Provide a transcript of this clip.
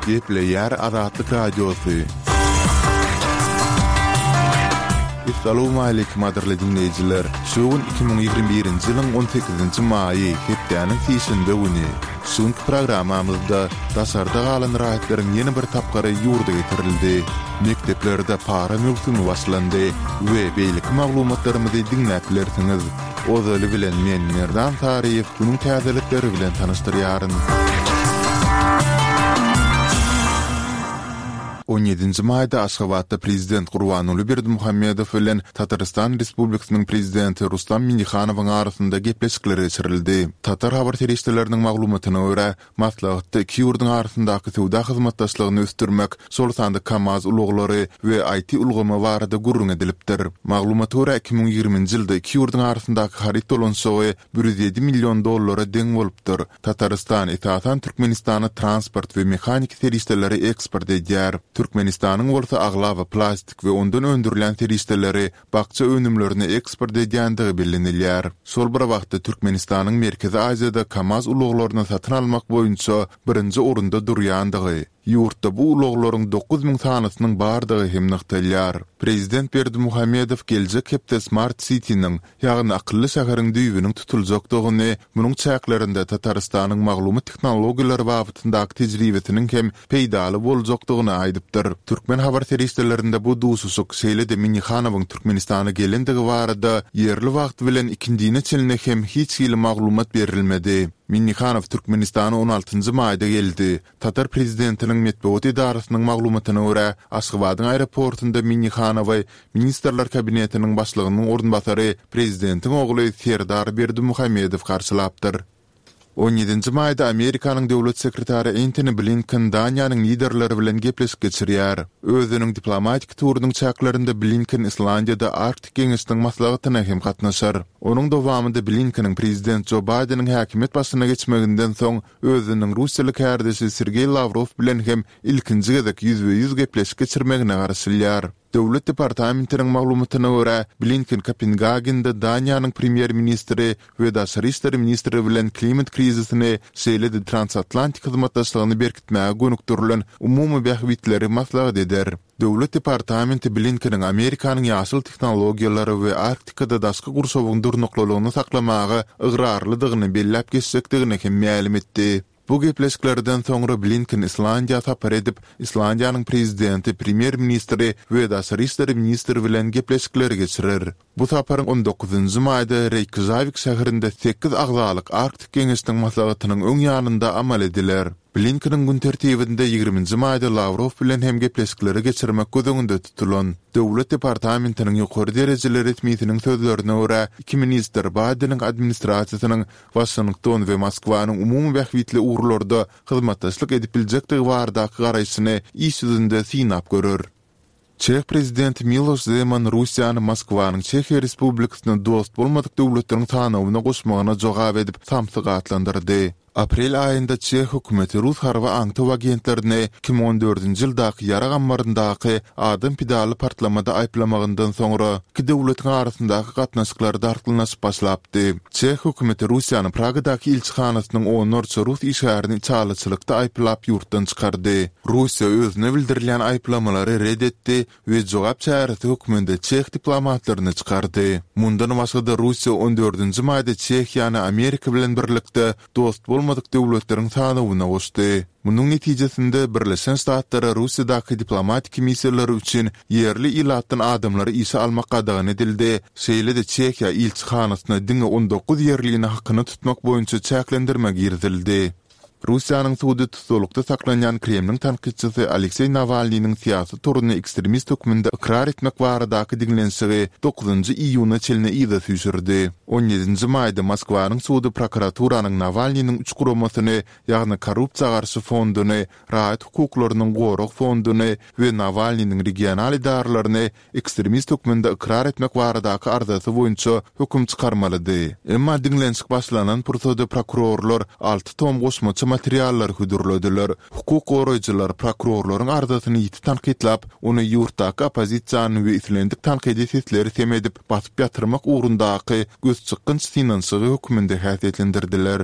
Gepleýär Azatlyk Radiosy. Essalawmaleýkim gadyrly diňleýjiler! Şu gün 2021-nji ýylyň on sekizinji maýy, hepdäniň sişenbe güni. Şu günki programmamyzda daşarda galan raýatlaryň ýene bir tapgyry ýurda getirildi. Mekdeplerde para möwsümi başlandy we beýleki maglumatlarymyzy diňläp bilersiňiz. Ozaly bilen men Merdan Saryýew günüň täzelikleri bilen tanyşdyrýaryn. On ýedinji maýda Aşgabatda Prezident Gurbanguly Berdimuhamedow bilen Tatarystan Respublikasynyň Prezidenti Rustam Minnihanowyň arasynda gepleşikler geçirildi. Tatar habar serişdeleriniň maglumatyna görä, Maslahatda iki ýurduň arasyndaky söwda hyzmatdaşlygyny ösdürmek, şol sanda KAMAZ ulaglary we IT ulgamy barada gürrüň edilipdir. Maglumata görä, 2020-nji ýylda iki ýurduň arasyndaky haryt dolanyşygy 107 million dollara deň bolupdyr. Tatarystan, esasan, Türkmenistana transport we mehaniki serişdeleri eksport edýär. Türkmenistanyň bolsa aglaba plastik we ondan öndürilýän serişdeleri bakja önümlerini eksport edýändigi bellenilýär. Şol bir wagtda Türkmenistanyň Merkezi Aziýada KAMAZ ulaglaryny satyn almak boýunça birinji orunda durýandygy, ýurtda bu ulaglaryň 9000 sanysynyň bardygy hem nygtalýar. Prezident Berdimuhamedow geljek hepde Smart City-niň, ýagny akylly şäheriň düýbüniň tutuljakdygyny, munuň çäklerinde Tatarystanyň maglumat tehnologiýalary babatyndaky tejribesiniň hem peýdaly boljakdygyny aýdypdyr. Türkmen habar serişdelerinde bu duşuşyk, şeýle-de Minnihanowyň Türkmenistana gelendigi barada ýerli wagt bilen ikindine çenli hem hiç hili maglumat berilmedi. Minnihanow Türkmenistana on altynjy maýda geldi. Tatar prezidentiniň metbugat edarasynyň maglumatyna görä, Aşgabadyň aeroportynda Minnihanowy Ministrler Kabinetiniň başlygynyň orunbasary, prezidentiň ogly Serdar Berdimuhamedow garşylapdyr. On ýedinji maýda Amerikanyň döwlet sekretary Entoni Blinken Daniýanyň liderleri bilen gepleşik geçirýär. Özüniň diplomatik turunyň çäklerinde Blinken Islandiýada Arktik geňeşiniň maslahatyna hem gatnaşar. Onuň dowamynda Blinkeniň prezident Jo Baýdeniň häkimiýet başyna geçmeginden soň özüniň russiýaly kärdeşi Sergeý Lawrow bilen hem ilkinji gezek ýüzbe-ýüz gepleşik geçirmegine garaşylýar. Döwlet departamentiniň maglumatyna görä, Blinken Kopengagende Daniýanyň premýer-ministri we daşary işler ministri bilen klimat krizisini, şeýle-de transatlantik hyzmatdaşlygyny berkitmäge gönükdirilen umumy bähbitleri maslahat eder. Döwlet departamenti Blinkeniň Amerikanyň ýaşyl tehnologiýalary we Arktikada daşky gurşawyň durnuklylygyny saklamaga ygrarlydygyny belläp geçjekdigini hem mälim etdi. Bu gepleşiklerden soňra Blinken Islandiýa sapar edip, Islandiýanyň prezidenti, premýer-ministri we daşary işler ministri bilen gepleşikleri geçirer. Bu saparyň on dokuzynjy maýda Reýkjawik şäherinde sekiz agzalyk Arktik geňeşiniň maslahatynyň öň ýanynda amal ediler. Blinkeniň gün tertibinde ýigriminji maýda Lawrow bilen hem gepleşikleri geçirmek göz öňünde tutulan. Döwlet departamentiniň ýokary derejeli resmisiniň sözlerine görä, iki ministr Baýdeniň administrasiýasynyň Waşington we Moskwanyň umumy bähbitli ugurlarda hyzmatdaşlyk edip biljekdigi baradaky garaýşyny iş ýüzünde synap görer. Çeh prezidenti Miloş Zeman Russiýany Moskwanyň Çehiýa Respublikasyny dost bolmadyk döwletleriň sanawyna goşmagyna jogap edip samsyk atlandyrdy. Aprel aýynda çeh hökümeti rus harby aňtaw agentlerini 2014-nji ýyldaky ýarag ammaryndaky adam pidaly partlamada aýyplamagyndan soňra iki döwletiň arasyndaky gatnaşyklar dartgynlaşyp başlapdy. Çeh hökümeti Russiýanyň Pragadaky ilçihanasynyň onlarça rus işgärini içalyçylykda aýyplap ýurtdan çykardy. Russiýa özüne bildirilýän aýyplamalary ret etdi we jogap çäresi hökmünde çeh diplomatlaryny çykardy. Mundan başga-da Russiýa on dördünji maýda Çehiýany Amerika bilen birlikde dost bolmadyk döwletleriň sanawyna goşdy. Munuň netijesinde Birleşen Ştatlara Russiýadaky diplomatik missiýalary üçin ýerli ilatdan adamlary işe almak gadagan edildi, şeýle-de Çehiýa ilçihanasyna diňe 19 ýerlini hakyna tutmak boýunça çäklendirme girizildi. Russiýanyň sudy tussaglykda saklanýan Kremliň tankytçysy Alekseý Nawalnynyň syýasy toruny ekstremist hökmünde ykrar etmek baradaky diňlenişigi dokuzynjy iýuna çenli yza süýşürdi. On ýedinji maýda Moskwanyň sudy prokuraturanyň Nawalnynyň üç guramasyny, ýagny Korrupsiýa garşy fonduny, Raýat hukuklarynyň gorag fonduny we Nawalnynyň regional edaralaryny ekstremist hökmünde ykrar etmek baradaky arzasy boýunça höküm çykarmalydy. Emma diňlenişik başlanan pursady prokurorlar alty tom goşmaça materiallary hödürlediler. Hukuk goraýjylar prokurorlaryň arzasyny ýiti tankytlap, ony ýurtdaky oppozisiýany we islendik tankydy sesleri sem edip, basyp ýatyrmak ugrundaky gözçykgynç synanyşygy hökmünde häsiýetlendirdiler.